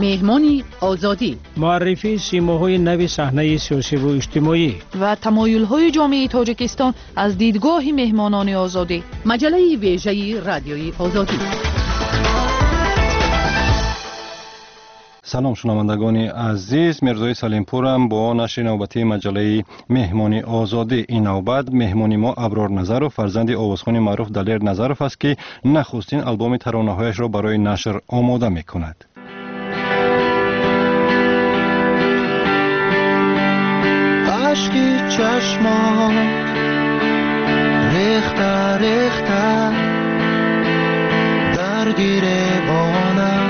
Меҳмони Озодӣ. Муаррифии симоҳои нави саҳнаи сиёсиву иҷтимоӣ ва тамоюлҳои ҷомеаи Тоҷикистон аз дидгоҳи меҳмонони Озодӣ. Маҷаллаи вежаи Радиои Озодӣ. Салом, шунавандагони азиз, Мирзои Салимпурам бо нашри навбатии маҷаллаи Меҳмони Озодӣ. Ин навбат меҳмони мо Аброр Назаров, фарзанди овозхони маъруф Далер Назаров аст, ки нахустин албоми таронаҳояшро барои нашр омода мекунад. Ашки чашмот рехта рехта дар гиребонам.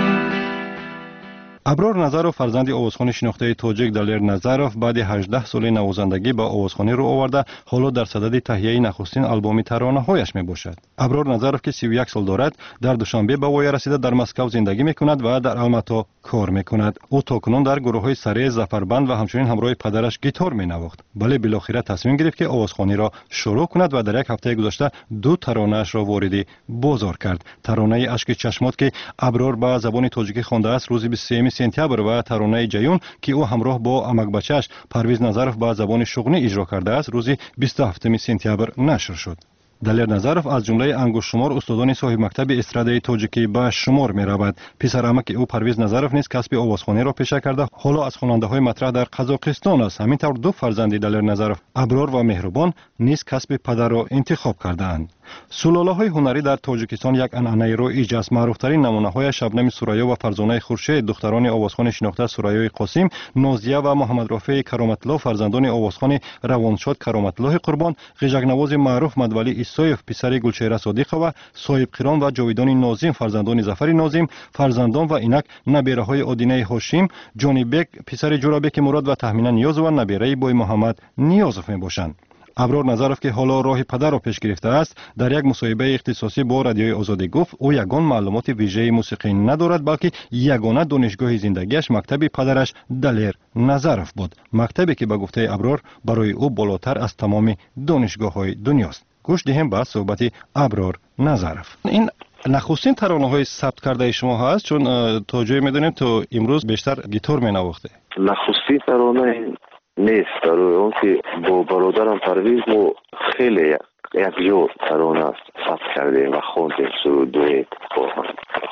Аброр Назаров, фарзанди овозхони шинохтаи тоҷик Далер Назаров, баъди 18 соли навозандагӣ ба овозхонӣ рӯ оварда, ҳоло дар садади таҳияи нахустин албоми таронаҳояш мебошад. Аброр Назаров, ки 31 сол дорад, дар Душанбе ба воя расида, дар Москав зиндагӣ мекунад ва дар Алмато кор мекунад. Ӯ то кунун дар гурӯҳҳои Саре, Зафарбанд ва ҳамчунин ҳамроҳи падараш гитор менавохт, вале билохира тасмим гирифт, ки овозхониро шурӯъ кунад ва дар як ҳафтаи гузашта ду таронаашро вориди бозор кард. Таронаи Ашки чашмот, ки Аброр ба забони тоҷикӣ хондааст, рӯзи 23 сентябр ва таронаи Ҷаюн, ки ӯ ҳамроҳ бо амакбачааш Парвиз Назаров ба забони шуғнӣ иҷро кардааст, рӯзи 27 сентябр нашр шуд. Далер Назаров аз ҷумлаи ангуштшумор устодони соҳибмактаби эстрадаи тоҷикӣ ба шумор меравад. Писарамаки ӯ Парвиз Назаров низ касби овозхониро пеша карда, ҳоло аз хонандаҳои матраҳ дар Қазоқистон аст. Ҳамин тавр, ду фарзанди Далер Назаров, Аброр ва Меҳрубон, низ касби падарро интихоб кардаанд. Сулолаҳои ҳунарӣ дар Тоҷикистон як анъанаи роиҷ аст. Маъруфтарин намунаҳояш Шабнами Сурайё ва Фарзонаи Хуршед, духтарони овозхони шинохта Сурайёи Қосим, Нозия ва Муҳаммадрофеи Кароматлло, фарзандони овозхони равоншод Кароматллоҳи Қурбон, ғижакнавози маъруф Мадвалӣ Исоев, писари Гулчеҳра Содиқова, Соҳибқирон ва Ҷовидони Нозим, фарзандони Зафари Нозим, фарзандон ва инак набераҳои Одинаи Ҳошим, Ҷонибек, писари Ҷурабеки Мурод ва Таҳмина Ниёзова, набераи Боймуҳаммад Ниёзов мебошанд. Аброр Назаров, ки ҳоло роҳи падарро пеш гирифтааст, дар як мусоҳибаи ихтисосӣ бо Радиои Озодӣ гуфт, ӯ ягон маълумоти вижаи мусиқӣ надорад, балки ягона донишгоҳи зиндагиаш мактаби падараш Далер Назаров буд, мактабе, ки ба гуфтаи Аброр барои ӯ болотар аз тамоми донишгоҳҳои дунёст. Гӯш диҳем ба суҳбати Аброр Назаров. Ин нахустин таронаҳои сабт кардаи шумо ҳаст, чун то ҷое медонем, то имрӯз бештар гитор менавохте. Нахустин тарона нест, барои он ки бо бародарам Парвиз мо хеле якҷо тарона сабт кардем ва хондем суруд дуэт бо ҳам.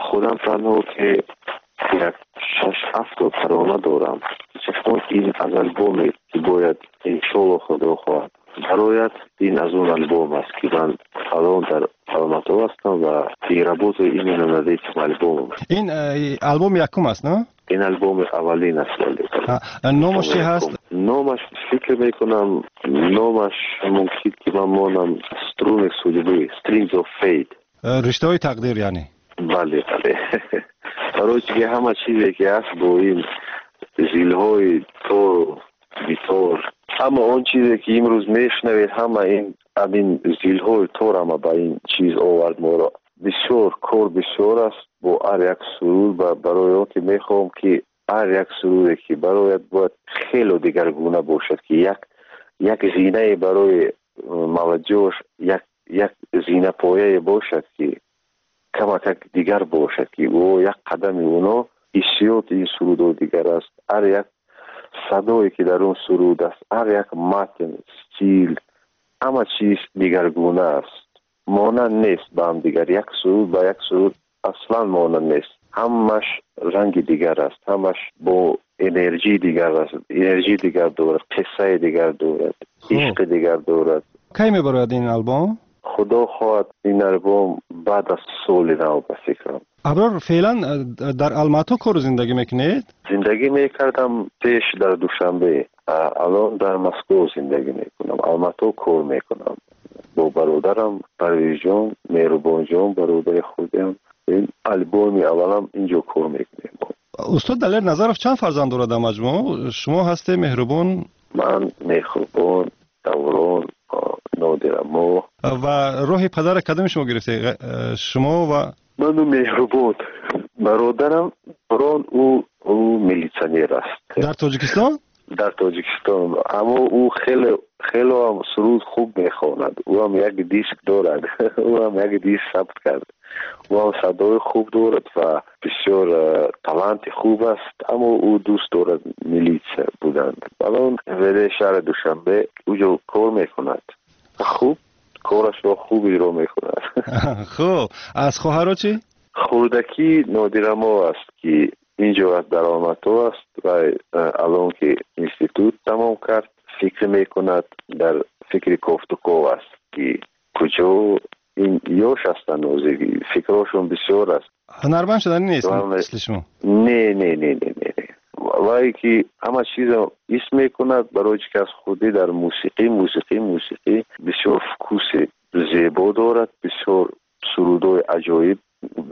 Худам танҳо ки як шаш ҳафто тарона дорам. Чашмон ин аз албоме ки бояд иншолло худо хоҳад барояд, ин аз он альбом аст, ки ман алон дар Алмато ҳастам ва и работаю именно над этим альбомом. Ин албом якум аст, на? Ин альбоми аввалин аст, вале. Номаш чи ҳаст? Номаш, фикр мекунам, номаш мумкин ки ман монам Струны судьбы, Strings of Fate. Риштаҳои тақдир, яъне? Бале, бале, барои ки ҳама чизе ки ҳаст бо ин зилҳои тору гитор, ҳама он чизе ки имрӯз мешунавед, ҳама ин ҳамин зилҳои тор ҳама ба ин чиз овард моро. Бисёр кор бисёр аст бо ҳар як суруд ва барои он ки мехоҳам ки ҳар як суруде ки барояд, бояд хело дигаргуна бошад, ки як зинае барои молодёжь, як зинапояе бошад, ки камакак дигар бошад, ки ӯ як қадами оно ҳиссиёти ин сурудҳо дигар аст. Ҳар як садое ки дар он суруд аст, ҳар як матн, стил, ҳама чиз дигаргуна аст, монанд нест ба ҳамдигар. Як суруд ба як суруд аслан монанд нест, ҳамаш ранги дигар аст, ҳамаш бо энергии дигар аст, энергии дигар дорад, қиссаи дигар дорад, ишқи дигар дорад. Кай мебарояд ин албом? Худо хоҳад, ин албом баъд аз соли нав, ба фикрам. Аброр, феълан дар Алмато кору зиндагӣ мекунед? Зиндагӣ мекардам пеш дар Душанбе, алон дар Москов зиндагӣ мекунам, Алмато кор мекунам бо бародарам Парвизҷон, Меҳрубонҷон, бародари худам. Ин албоми аввалам инҷо кор мекунем. Устод Далер Назаров чанд фарзанд дорад дар маҷмӯъ? Шумо ҳасте, Меҳрубон? Ман, Меҳрубон, Даврон, Нодира мо. Ва роҳи падара кадоми шумо гирифте, шумо ва? Ману Меҳрубон. Бародарам Даврон, ӯ милитсионер аст. Дар Тоҷикистон? Дар Тоҷикистон, аммо ӯ хеле Хеле ҳам суруд хуб мехонад. Ӯ ҳам як диск дорад. Ӯ ҳам як диск сабт кард. Ӯ ҳам садои хуб дорад ва бисёр таланти хуб аст, аммо ӯ дӯст дорад милитсия будан. Алон МВД шаҳри Душанбе уҷо кор мекунад. Хуб корашро хуб иҷро мекунад. Хуб, аз хоҳаро чӣ? Хурдакӣ Нодирамо аст, ки инҷо аст, дар Алмато аст ва алон ки институт тамом кард, фикр мекунад, дар фикри кофтуков аст, ки куҷо ин ёш ҳастанд, фикрҳошон бисёр аст. Ҳунарманд шуданӣ нест мисли шумо? Не, не, не, не, не. Вай ки ҳама чизро ҳис мекунад, барои чӣ ки аз худӣ дар мусиқӣ, мусиқӣ, мусиқӣ бисёр вкуси зебо дорад, бисёр сурудҳои аҷоиб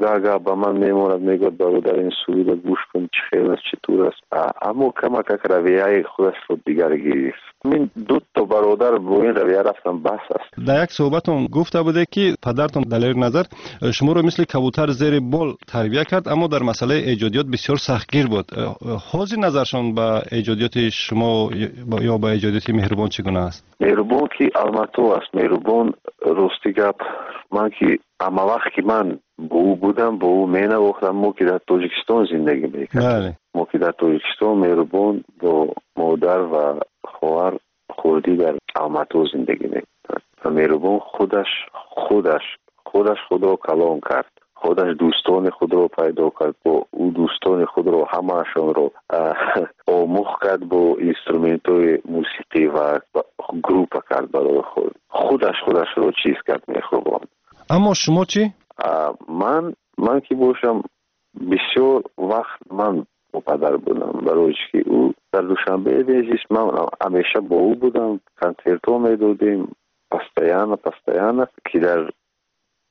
гаҳ-гаҳ ба ман мемонад, мегӯяд: бародар, ин суруда гӯш кун, чӣ хел аст, чӣ тур аст. Аммо камакак равияи худашро дигар гирифт. Мин дуто бародар бо ин равия рафтан, бас аст. Дар як суҳбатон гуфта буде, ки падартон Далер Назар шуморо мисли кабутар зери бол тарбия кард, аммо дар масъалаи эҷодиёт бисёр сахтгир буд. Ҳозир назаршон ба эҷодиёти шумо ё ба эҷодиёти Меҳрубон чӣ гуна аст? Меҳрубон ки Алмато аст, Меҳрубон, рости гап, ман ки ҳама вақт ки ман бо ӯ будам, бо ӯ менавохтам, мо ки дар Тоҷикистон зиндагӣ мекардем, мо ки дар Тоҷикистон, Меҳрубон бо модар ва хоҳар хурдӣ дар Алмато зиндагӣ мекунад ва Меҳрубон худаш худаш худаш худро калон кард, худаш дӯстони худро пайдо кард, бо ӯ дӯстони худро ҳамаашонро омӯхт кард бо инструментҳои мусиқӣ ва группа кард барои худ. Худаш худашро чиз кард Меҳрубон. Аммо шумо чӣ? Ман ки бошам, бисёр вақт ман бо падар будам, барои чӣ ки ӯ дар Душанбе мезист, ман ҳамеша бо ӯ будам, консертҳо медодем постоянно, постоянно ки дар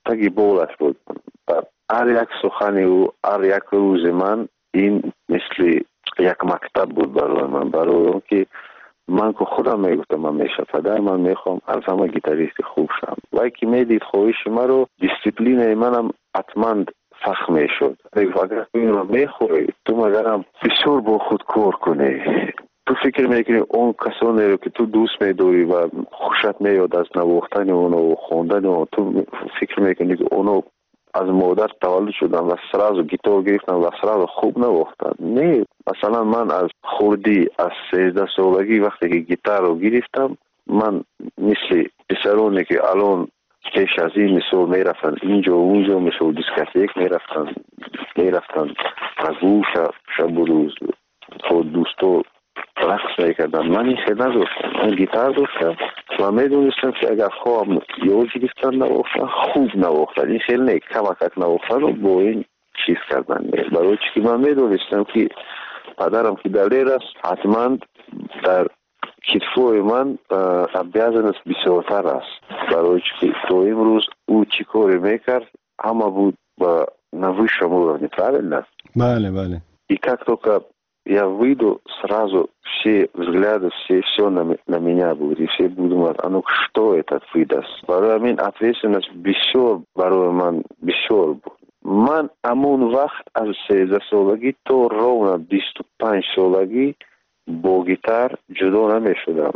таги болаш будам. Ҳар як сухани ӯ, ҳар як рӯзи ман ин мисли як мактаб буд барои ман, барои он ки ман ку худам мегуфтам: ман меша падар, ман мехоҳам аз ҳама гитаристи хуб шавам. Вай ки медид хоҳиши маро, дисциплинаи манам ҳатман сахт мешуд. Мегуфт: агар ту инро мехоҳӣ, ту магарам бисёр бо худ кор кунӣ. Ту фикр мекунӣ, он касонеро ки ту дӯст медорӣ ва хушат меояд аз навохтани оно ва хондани он, ту фикр мекунӣ, ки оно аз модар таваллуд шуданд ва сразу гитор гирифтанд ва сразу хуб навохтанд? Не, масалан, ман аз хурдӣ, аз 13 солагӣ, вақте ки гитарро гирифтам, ман мисли писароне ки алон пеш аз ин мисол мерафтанд инҷо, унҷо, мисол дискотек мерафтанд, мерафтанд прогулка, шабу рӯз бо дӯсто рақс мекарданд, ман ин хел надоштам. Ман гитар доштам ва медонистам, ки агар хоҳам ёд гирифтан навохтан, хуб навохтан, ин хел не, камакак навохтану бо ин чиз кардан не, барои чӣ ки ман медонистам, ки падарам ки Далер аст, ҳатман дар китфҳои ман обязанность бисёртар аст, барои чӣ ки то имрӯз ӯ чӣ коре мекард, ҳама буд ба на высшем уровне, правильно? Бале, бале. И как только я выйду, сразу все взгляды, все, все на меня будет, и все будут думать: а ну что этот выдаст? Барои ҳамин ответственность бисёр барои ман бисёр буд. Ман ҳамон вақт аз 13 солагӣ то ровно 25 солагӣ бо гитар ҷудо намешудам.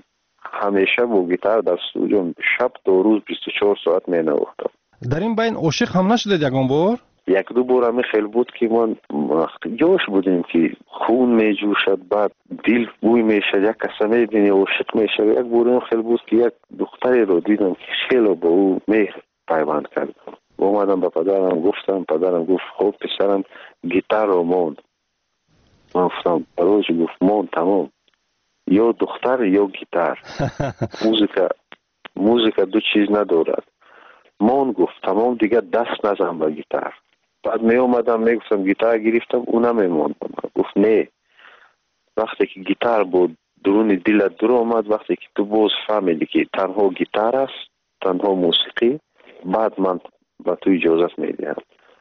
Ҳамеша бо гитар дар студио шаб то рӯз 24 соат менавохтам. Дар ин байн ошиқ ҳам нашудед ягон бор? Як-ду бор ҳамин хел буд, ки ман вақти ёш будем, ки хун меҷӯшад, баъд дил бӯй мешавад, як каса мебинӣ, ошиқ мешавӣ. Як бор ин хел буд, ки як духтареро дидам, ки хело бо ӯ меҳр пайванд кардам. Омадам, ба падарам гуфтам. Падарам гуфт: хуб, писарам, гитарро монд. Ман гуфтам: барои чӣ? Гуфт: монд, тамом, ё духтар, ё гитар. Музыка, музыка ду чиз надорад. Мон, гуфт, тамом, дигар даст назан ба гитар. Баъд меомадам, мегуфтам: гитар гирифтам, ӯ намемонд. Гуфт: не, вақте ки гитар бо дуруни дилат дур омад, вақте ки ту боз фаҳмидӣ, ки танҳо гитар аст, танҳо мусиқӣ, баъд ман ба ту иҷозат медиҳам.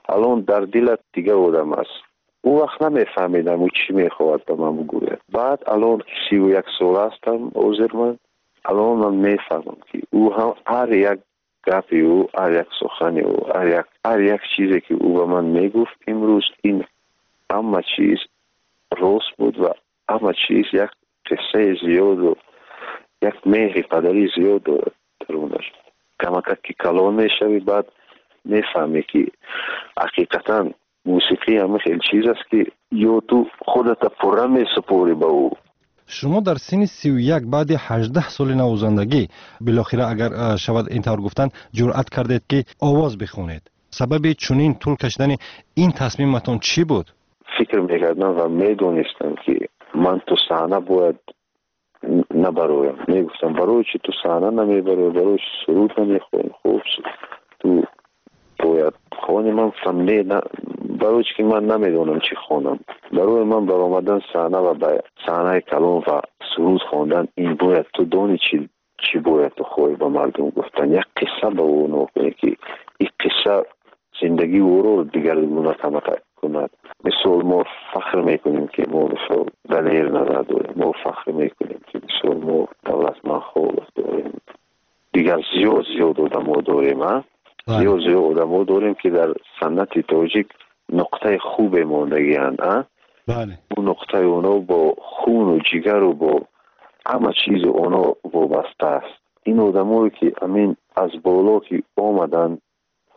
Алон дар дилат дигар одам аст. Он вақт намефаҳмидам, ӯ чӣ мехоҳад ба ман бигӯяд. Баъд алон ки 31 сола ҳастам ҳозир, ман алон ман мефаҳмам, ки ӯ ҳам ҳар як гапи ӯ, ҳар як сухани ӯ, ҳар як чизе ки ӯ ба ман мегуфт, имрӯз ин ҳама чиз рост буд ва ҳама чиз як қиссаи зиёду Як меҳри падарӣ зиёд дорад дарунаш. Камакак ки калон мешавӣ, баъд мефаҳмӣ, ки ҳақиқатан мусиқӣ ҳама хел чиз аст, ки ё ту худата пурра месупорӣ ба ӯ. Шумо дар синни 31, баъди 18 соли навозандагӣ, билохира, агар шавад ин тавр гуфтан, ҷуръат кардед, ки овоз бихонед. Сабаби чунин тӯл кашидани ин тасмиматон чӣ буд? Фикр мекардам ва медонистам, ки ман ту саҳна бояд набароям. Мегуфтам, барои чи ту саҳна намебароӣ, барои чи суруд намехонӣ? Хуб, ту бояд хонӣ. Ман гуфтам, не, барои чи ки ман намедонам чӣ хонам. Барои ман баромадан саҳна ва ба саҳнаи калон ва суруд хондан, ин бояд ту дони чӣ бояд ту хоҳӣ ба мардум гуфтан, як қисса ба ӯ кунӣ, ки ин қисса зиндагии ӯро дигаргуна кунад. Мисол, мо фахр мекунем, ки мо, мисол, Далер Назар дорем, мо фахр мекунем, ки, мисол, мо Давлатман Холов дорем, дигар зиёд зиёд одамо дорем, а зиёд зиёд одамо дорем, ки дар санъати тоҷик нуқтаи хубе мондагианд, а ӯ нуқтаи оно бо хуну ҷигару бо ҳама чизу оно вобаста аст. Ин одамое, ки амин аз боло ки омаданд,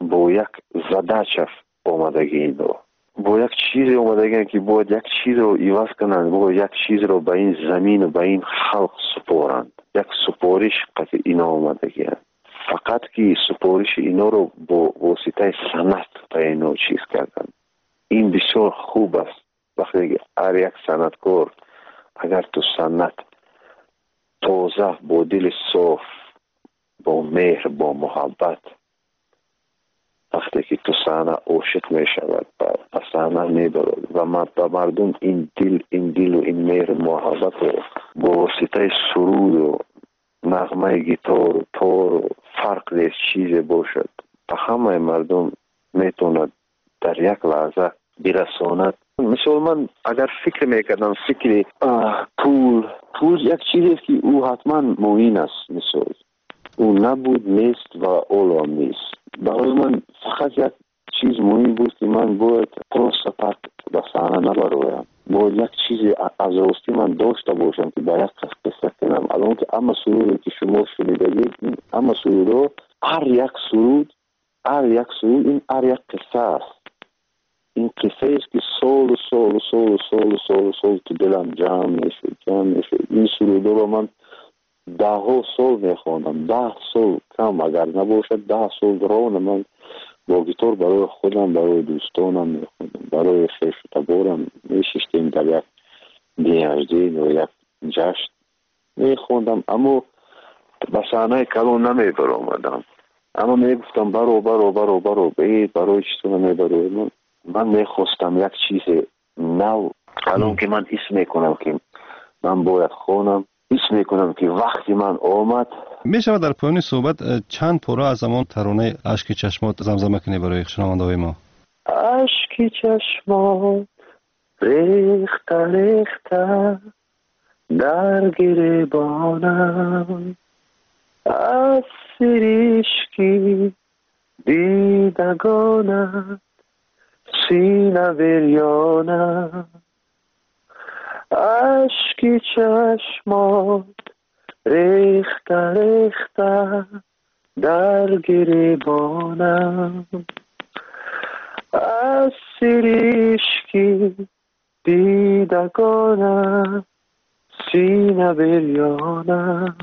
бо як задача омадагӣ, ино бо як чизе омадагианд, ки бояд як чизро иваз кунанд, бояд як чизро ба ин замину ба ин халқ супоранд. Як супориш қати ино омадагианд, фақат ки супориши иноро бо воситаи санъат ба ино чиз карданд. Ин бисёр хуб аст, вақте ки ҳар як санъаткор, агар ту санъат тоза, бо дили соф, бо меҳр, бо муҳаббат, вақте ки ту саҳна ошиқ мешавад, ба саҳна мебарад ва ба мардум ин дил, ин дилу ин меҳру муҳаббатро бо воситаи суруду нағмаи гитору тору, фарқ нест, чизе бошад, ба ҳамаи мардум метавонад дар як лаҳза бирасонад. Мисол, ман агар фикр мекардам, фикри пул як чизест, ки ӯ ҳатман муҳин аст. Мисол, ӯ набуд, нест ва олам нест. Барои ман фақат як чиз муҳим буд, ки ман бояд просто так ба саҳна набароям, бояд як чизе аз ростӣ ман дошта бошам, ки ба як кас қисса кунам. Алон ки ҳама суруде, ки шумо шунидагед, ҳама сурудҳо, ҳар як суруд, ҳар як суруд ин ҳар як қисса аст. Ин қиссаест, ки солу солу солу солу солу сол ту дилам ҷамъ мешуд, ҷамъ мешуд. Ин сурудҳоро ман даҳҳо сол мехондам, 10 сол кам агар набошад, 10 сол ровно ман бо гитор барои худам, барои дӯстонам мехондам, барои хешу таборам. Мешиштем дар як день рождения ё як ҷашн, мехондам, аммо ба саҳнаи калон намебаромадам. Аммо мегуфтам, баро, баро, баро, баро, э, барои чӣ ту намебарои? Ман мехостам як чизе нав. Алон ки ман ҳис мекунам, ки ман бояд хонам, ҳис мекунам, ки вақти ман омад. Мешавад дар поёни суҳбат чанд пора аз ҳамон таронаи «Ашки чашмот» замзама кунӣ барои шунавандаҳои мо? Ашки чашмот рехта рехта дар гиребонам, аз сиришки дидагонат сина бирёнам. Ашки чашмот рехта рехта дар гиребонам, аз сиришки дидагонат сина бирёнам.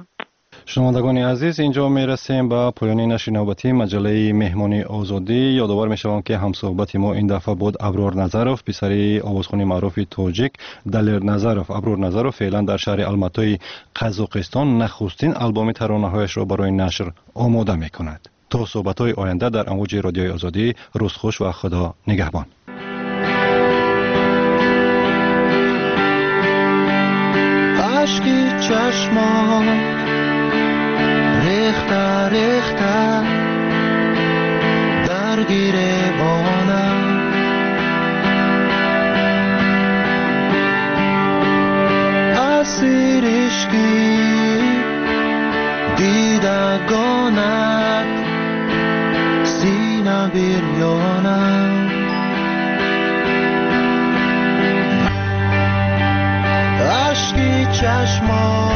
Шунавандагони азиз, инҷо мерасем ба поёни нашри навбатии маҷаллаи «Меҳмони озодӣ». Ёдовар мешавам, ки ҳамсӯҳбати мо ин дафъа буд Аброр Назаров, писари овозхони маъруфи тоҷик Далер Назаров. Аброр Назаров феълан дар шаҳри Алматои Қазоқистон нахустин албоми таронаҳояшро барои нашр омода мекунад. То суҳбатҳои оянда дар амвоҷи Радиои Озодӣ, рӯзхуш ва Худо нигаҳбон. Ашки чашмот рехта рехта дар гиребонам, асир ишки дидагонат сина бирёнам. Ашки чашмот.